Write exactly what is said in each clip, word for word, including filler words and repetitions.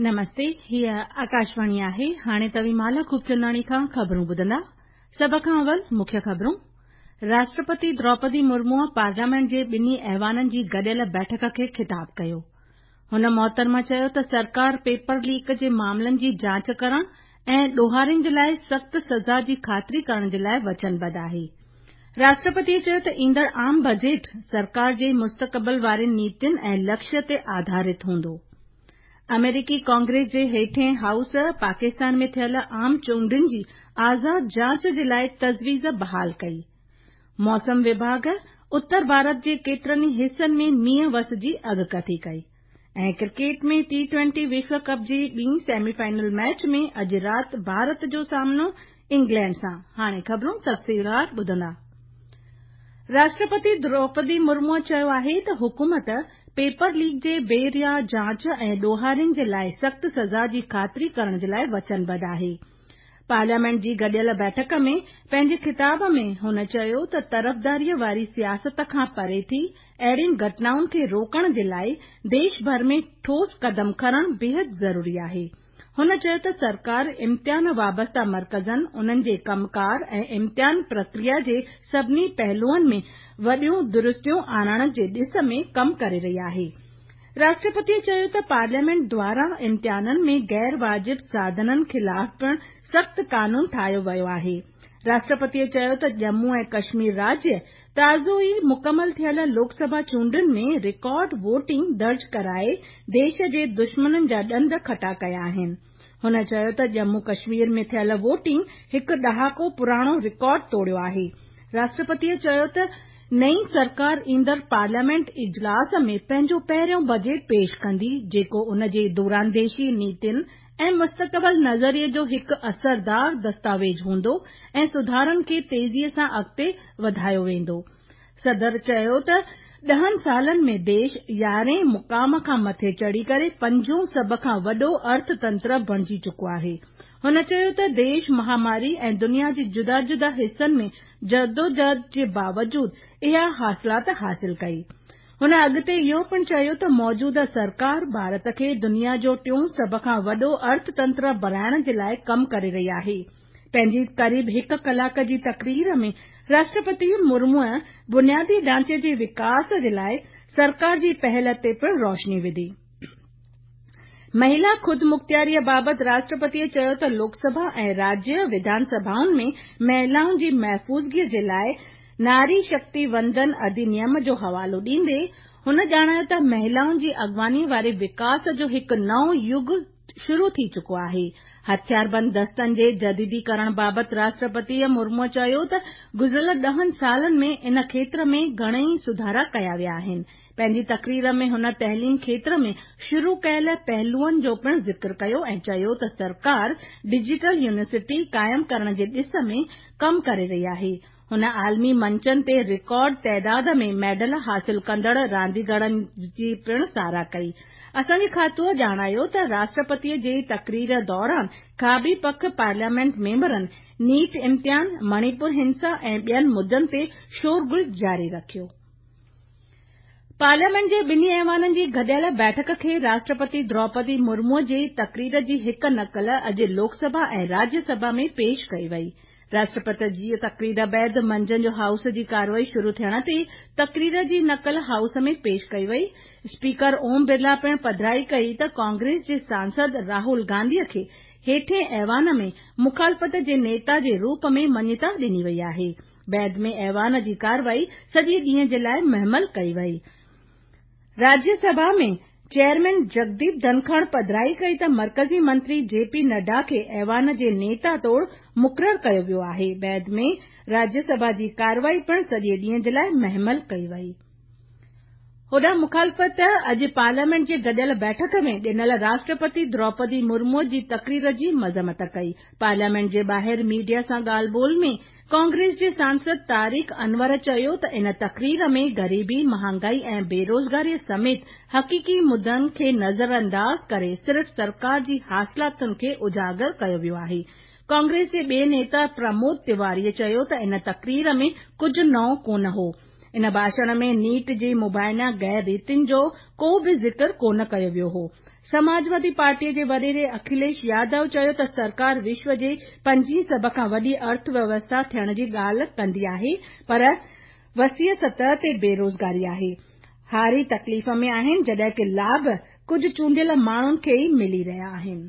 نمستي، هيء آڪاشواڻي آهي. هاڻي توهين مالا خوبچنداڻي کان خبرون ٻڌندا. سڀ کان اول مکيه خبرون. راشٽرپتي دروپدي مرموءَ پارليامينٽ جي ٻنهي ايوانن جي گڏيل بيٺڪ کي خطاب ڪيو. هن محترمه چيو ته سرڪار پيپر ليڪ جي معاملن جي جاچ ڪرڻ ۽ ڏوهارين جي لاء سخت سزا جي خاطري ڪرڻ جي لاء وچنبڌ آهي. راشٽرپتيء چيو ته ايندڙ عام بجيٽ سرڪار جي مستقبل وارين نيتين ۽ لڪشيه تي آڌارت هوندو. آمريڪي ڪانگريس جي هيٺين هائوس پاڪستان ۾ ٿيل عام چونڊن جي آزاد جاچ جي لاء تجويز بحال ڪئي. موسم وڀاڳ اتر ڀارت جي ڪيترن ئي حصن ۾ مينهن وس جي اڳڪٿي ڪئي ۽ ڪرڪيٽ ۾ ٽي ٽوئنٽي وشو ڪپ جي ٻي سيمي فائنل ميچ ۾ اڄ رات ڀارت جو سامنو انگلينڊ سان. هاڻي خبرون تفصيلوار ٻڌندا. راشٽرپتي دروپدي مرموءَ چيو آهي ته حڪومت پيپر ليڪ جي بي ريا جاچ ۽ ڏوهارين جي لاء سخت سزا جي خاطري ڪرڻ جي لاء وچنبڌ آهي. پارليامينٽ جي گڏيل بيٺڪ ۾ پنهنجي خطاب ۾ هن چيو ته طرفداريءَ واري سياست کان پري ٿي اهڙين گهٽنائن کي روڪڻ جي لاء ديش ڀر ۾ ٺوس قدم کڻڻ بيحد ضروري آهي. هن چيو ته سرڪار امتحان وابسته مرڪزن، انهن جي ڪم ڪار ۽ امتحان پرڪريا جي سڀني پهلوئن ۾ وڏيون درستيون آڻڻ جي ڏس ۾ ڪم ڪري رهي آهي. راشٽرپتيء چيو ته پارليامينٽ دواران امتحانن ۾ غير واجب ساڌنن خلاف پڻ سخت قانون ٺاهيو ويو آهي. راشٽرپتيء چيو ته ڄمون ۽ ڪشمير راجيه تازو ئي مڪمل ٿيل لوڪ سڀا چونڊن ۾ رڪارڊ ووٽنگ درج ڪرائي ديش جي دشمنن جا ڏند کٽا ڪيا آهن. هن چيو ته ڄمون ڪشمير ۾ ٿيل ووٽنگ هڪ ڏهاڪو پراڻو رڪارڊ ٽوڙيو آهي. راشٽرپتيء چيو ته نئين سرڪار ايندڙ پارليامينٽ اجلاس ۾ پنهنجو پهريون بجيٽ پيش ڪندي، جيڪو ان جي دورانديشي نيتين ۽ مستقبل نظريي جو هڪ اثردار دستاويز هوندو ۽ سڌارن کي تيزيءَ سان اڳتي وڌايو ويندو. صدر چيو ته ڏهن سالن ۾ ديش يارهين مقام کان مٿي چڙهي ڪري پنجون سڀ کان وڏو ارٿتنتر بڻجي چڪو آهي. هن چيو ته ديش مهاماري ۽ دنيا جي جدا جدا حصن ۾ جدوجهد جي باوجود اها حاصلات حاصل ڪئي. هن اڳتي اهو پڻ چيو ته موجوده سرڪار ڀارت کي دنيا جو ٽيون سڀ کان وڏو ارٿتنتر بڻائڻ جي لاء ڪم ڪري رهي آهي. پنهنجي قريب هڪ ڪلاڪ جي تقرير ۾ راشٽرپتي مرموءَ بنيادي ڍانچي جي وڪاس جي لاء سرڪار جي پهل تي پڻ روشني وڌي. مهلا خودمختياريءَ بابت راشٽرپتيءَ چيو ته لوڪ سڀا ۽ راجيه وڌان سڀائن ۾ مهلائن جي محفوظگيءَ جي لاء ناري شڪتي وندن اڌنيم جو حوالو ڏيندي هن ڄاڻايو ته مهلائن جي اڳواڻيءَ واري وڪاس جو هڪ نئون يگ شروع ٿي چڪو آهي. هٿياربند دستن جي جديديڪرڻ بابت راشٽرپتي مرموءَ چيو ته گذريل ڏهن سالن ۾ ان کيتر ۾ گهڻئي سڌارا ڪيا ويا آهن. پنهنجي تقرير ۾ هن تعليم کيتر ۾ شروع ڪيل پهلوئن جو پڻ ذڪر ڪيو ۽ چيو ته سرڪار ڊجيٽل يونيورسٽي قائم ڪرڻ جي ڏس ۾ ڪم ڪري رهي آهي. هن عالمي منچن تي رڪارڊ تعداد ۾ ميڊل حاصل ڪندڙ رانديگرن جي پڻ ساراهه ڪئي. اسان جي کاتوءَ ڄاڻايو ته راشٽرپتيءَ جي تقرير دوران کاٻي پک پارليامينٽ ميمبرن نيٽ امتحان، مڻيپور هنسا ۽ ٻين مدعن تي شورغل جاري رکيو. پارليامينٽ جي ٻنهي ايوانن جي گڏيل بيٺڪ کي راشٽرپتي دروپدي مرموءَ جي تقرير جي هڪ نقل اڄ لوڪ سڀا ۽ راجيه سڀا ۾ پيش ڪئي وئي. راشٽرپتي جي تقرير بعد منجهند جو هائوس جي ڪارروائي شروع ٿيڻ تي تقرير جي نقل هائوس ۾ پيش ڪئي وئي. اسپيڪر اوم برلا پڻ پڌرائي ڪئي ته ڪانگريس جي سانسد راهول گانڌيءَ کي هيٺين ايوان ۾ مخالفت جي نيتا جي روپ ۾ مڃتا ڏني وئي آهي. بعد ۾ ايوان جي ڪارروائي سڄي ڏينهن جي لاءِ مهمل ڪئي وئي. راجيه سڀا ۾ چيئرمين جگديپ ڌنکڙ پڌرائي ڪئي ته مرڪزي منتري جي پي نڊا کي ايوان جي نيتا طور مقرر ڪيو ويو آهي. بعد ۾ راجيه سڀا جي ڪارروائي پڻ سڄي ڏينهن جي لاءِ مهمل ڪئي وئي. هوڏانهن مخالفت اڄ پارليامينٽ جي گڏيل بيٺڪ ۾ ڏنل راشٽرپتي دروپدي مرموءَ جي تقرير جي مذمت ڪئي. پارليامينٽ جي ٻاهر ميڊيا سان ڳالهه ٻولهه ۾ ڪانگريس جي سانسد طارق انور چيو ته ان تقرير ۾ غريبي، مهانگائي ۽ بيروزگاريءَ سميت حقيقي مدعن کي نظرانداز ڪري صرف سرڪار جي حاصلاتن کي اجاگر ڪيو ويو آهي. ڪانگريس جي ٻئي نيتا پرمود تيواريءَ چيو ته ان تقرير ۾ ڪجهه نئون ڪونه هو. ان ڀاشڻ ۾ نيٽ جي مبينا غير ريتين جو ڪو به ذڪر ڪونه ڪيو ويو هو. سماجوادي پارٽيء جي وڏيري اکليش يادو چيو ته سرڪار وشو جي پنجين سڀ کان وڏي ارٿ ويوسٿا ٿيڻ جي ڳالهه ڪندي آهي پر وسيع سطح تي بيروزگاري آهي. هاري تڪليف ۾ آهن جڏهن ڪه لاڀ ڪجهه چونڊيل ماڻهن کي ئي ملي رهيا آهن.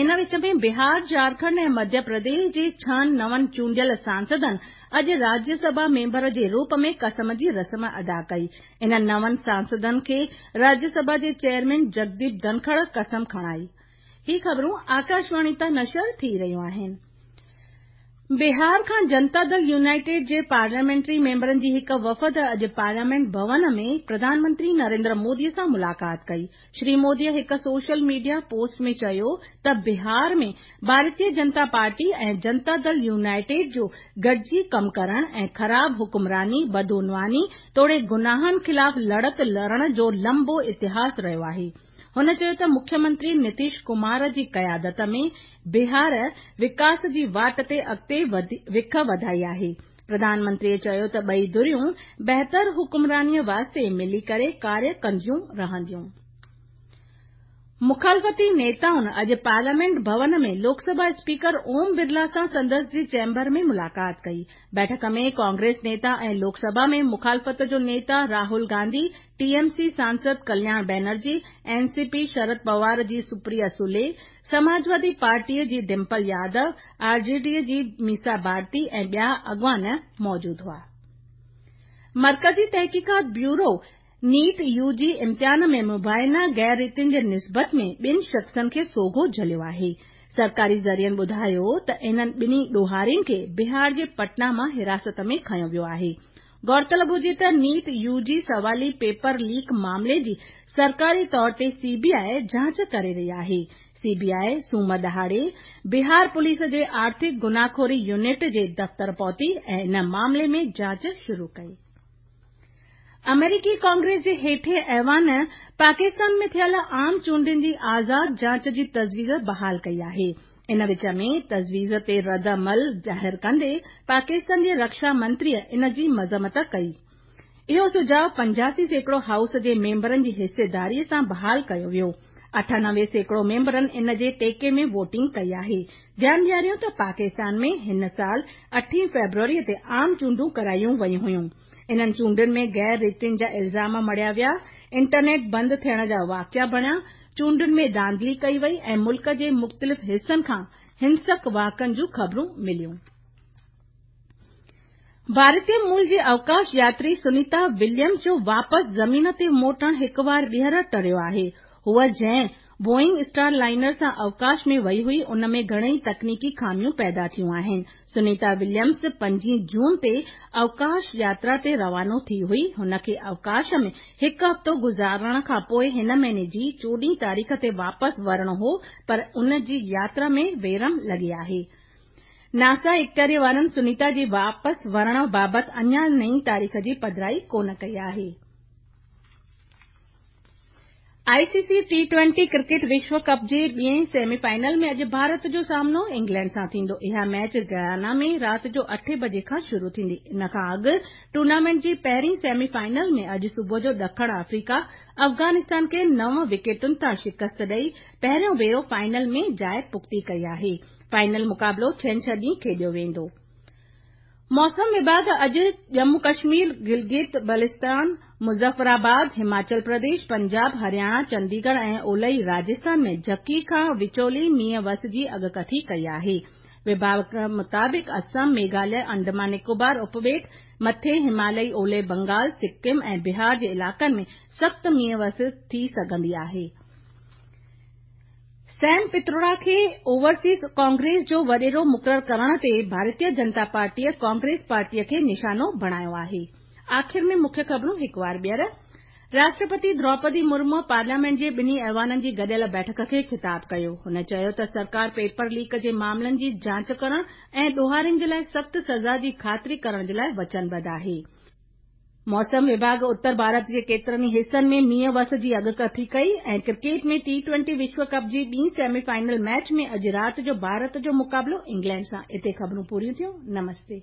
ان وچ ۾ بهار، جهارکنڊ ۽ مڌيه پرديش جي ڇهن نون چونڊيل سانسدن اڄ راجيه سڀا ميمبر جي روپ ۾ قسم جي رسم ادا ڪئي. انهن نون سانسدن کي راجيه سڀا جي چيئرمين جگديپ ڌنکڙ قسم کڻائي. هي خبرون آڪاشواڻي تان نشر ٿي رهيون آهن. بهار کان جنتا دل يونائيٽيڊ جي پارليامينٽري ميمبرن جي هڪ وفد اڄ پارليامينٽ ڀون ۾ پرڌان منتري نريندر مودي سان ملاقات ڪئي. شري مودي هڪ سوشل ميڊيا پوسٽ ۾ چيو ته بهار ۾ ڀارتيه جنتا پارٽي ۽ جنتا دل يونائيٽيڊ جو گڏجي ڪم ڪرڻ ۽ خراب حڪمراني، بدعنواني توڙي گناهن خلاف لڙت لڙڻ جو لمبو اتهاس رهيو آهي. هن چيو ته مکيه منتري نتيش ڪمار جي قيادت ۾ بهار وڪاس جي واٽ تي اڳتي وک وڌائي آهي. پرڌان منتريء چيو ته ٻئي ڌريون بهتر حڪمرانيء واسطي ملي ڪري ڪاريه ڪنديون رهنديون. مخالفتي نيتائن اڄ پارليامينٽ ڀون ۾ لوڪ سڀا اسپيڪر اوم برلا سان سندس جي چيمبر ۾ ملاقات ڪئي. بيٺڪ ۾ ڪانگريس نيتا ۽ لوڪ سڀا ۾ مخالفت جو نيتا Rahul Gandhi, T M C سانسد Kalyan Banerjee, N C P Sharad Pawar جي سپريا سولي، سماجوادي پارٽيء جي Dimple Yadav, R J D جي ميسا ڀارتي ۽ ٻيا اڳواڻ موجود هئا. مرڪزي تحقيقات بيورو نيٽ يو جي امتحان ۾ مبينا غير ريتين جي نسبت ۾ ٻن شخصن کي سوگهو جهليو آهي. سرڪاري ذريعن ٻڌايو ته انهن ٻنهي ڏوهارين کي بهار جي پٽنا مان حراست ۾ کنيو ويو آهي. غور طلب هجي ته نيٽ يو جي سوالي پيپر ليڪ معاملي جي سرڪاري طور تي سي بي آء جاچ ڪري رهي آهي. سي بي آء سومر ڏهاڙي بهار پوليس جي آرٿڪ گناهخوري يونٽ جي دفتر پهتي ۽ ان معاملي ۾ جاچ شروع ڪئي. آمريڪي ڪانگريس جي هيٺين ايوان پاڪستان ۾ ٿيل عام چونڊن جي آزاد جاچ جي تجويز بحال ڪئي آهي. ان وچ ۾ تجويز تي رد عمل ظاهر ڪندي پاڪستان جي رڪشا منتريء ان جي مذمت ڪئي. اهو سجهاء پنجاسي سيڪڙو هائوس جي ميمبرن جي حصيداريء سان بحال ڪيو ويو. اٺانوي سيڪڙو ميمبرن ان جي ٽيڪي ۾ ووٽنگ ڪئي آهي. ڌيان ڏياريون ته پاڪستان ۾ هن سال اٺين فيبروريء تي عام چونڊون ڪرايون ويون هيون. انهن چونڊن ۾ غير ريتين جا الزام مڙهيا ويا، انٽرنيٽ بند ٿيڻ جا واقعا بڻيا، چونڊن ۾ ڌانڌلي ڪئي وئي ۽ ملڪ جي مختلف حصن کان هنسڪ واقعن جون خبرون مليون. ڀارتي مول جي اوڪاش ياتري سنيتا وليمز جو واپس زمين تي موٽڻ هڪ وار ٻيهر ٽريو آهي. هوء جنهن بوئنگ اسٽار لائنر سان اوڪاش ۾ وئي هئي ان ۾ گهڻئي تڪنيڪي خاميون پيدا ٿيون آهن. سنيتا وليمز پنجين جون تي اوڪاش ياترا تي روانو ٿي هئي. هن کي اوڪاش ۾ هڪ هفتو گذارڻ کان پوءِ هن مهيني جي چوڏهين تاريخ تي واپس ورڻو هو پر ان جي ياترا ۾ ويرم لڳي آهي. ناسا اختياري وارن سنيتا جي واپس ورڻ بابت اڃا نئين تاريخ جي پڌرائي ڪونه ڪئي آهي. I C C T twenty cricket وشو ڪپ جي ٻئين سيمي فائنل ۾ اڄ ڀارت جو سامنو انگلينڊ سان ٿيندو. اها ميچ گيانا ۾ رات جو اٺين بجي کان شروع ٿيندي. ان کان اڳ ٽورنامينٽ جي پهرين سيمي فائنل ۾ اڄ صبح جو ڏکڻ آفريڪا افغانستان کي نو وڪيٽن تان شڪست ڏئي پهريون ڀيرو فائنل ۾ جاءِ پختي ڪئي آهي. فائنل مقابلو ڇنڇر ڏينهن کيڏيو ويندو. موسم وڀاڳ اڄ ڄمون ڪشمير، گلگت بلتستان، مظفرآباد، هماچل پرديش، پنجاب، هرياڻا، چنديڳڙهه ۽ اولهي راجسٿان ۾ جهڪي کان وچولي مينهن وس جي اڳڪٿي ڪئي آهي. وڀاڳ مطابق اسم، ميگهاليه، انڊمان نڪوبار اپٻيٽ، مٿي هماليائي اولهه بنگال، سڪم ۽ بهار جي علائقن ۾ سخت مينهن وس ٿي سگهندي آهي. سيم پتروڙا کي اوورسيز ڪانگريس جو وڏيرو مقرر ڪرڻ تي ڀارتيه جنتا پارٽيء ڪانگريس پارٽيء کي نشانو بڻايو آهي. آخر ۾ مکيه خبرون هڪ وار ٻيهر. راشٽرپتي دروپدي مرمو پارليامينٽ جي ٻنهي ايوانن جي گڏيل بيٺڪ کي خطاب ڪيو. هن چيو ته سرڪار پيپر ليڪ جي معاملن جي جاچ ڪرڻ ۽ ڏوهارين جي لاءِ سخت سزا جي خاطري ڪرڻ جي لاءِ وچنبڌ آهي. موسم وڀاڳ اتر ڀارت جي ڪيترن ئي حصن ۾ مينهن وس جي اڳڪٿي ڪئي ۽ ڪرڪيٽ ۾ ٽي ٽوئنٽي وشو ڪپ جي ٻي سيمي فائنل ميچ ۾ اڄ رات جو ڀارت جو مقابلو انگلينڊ سان. اتي خبرون پوريون ٿيون. نمستي.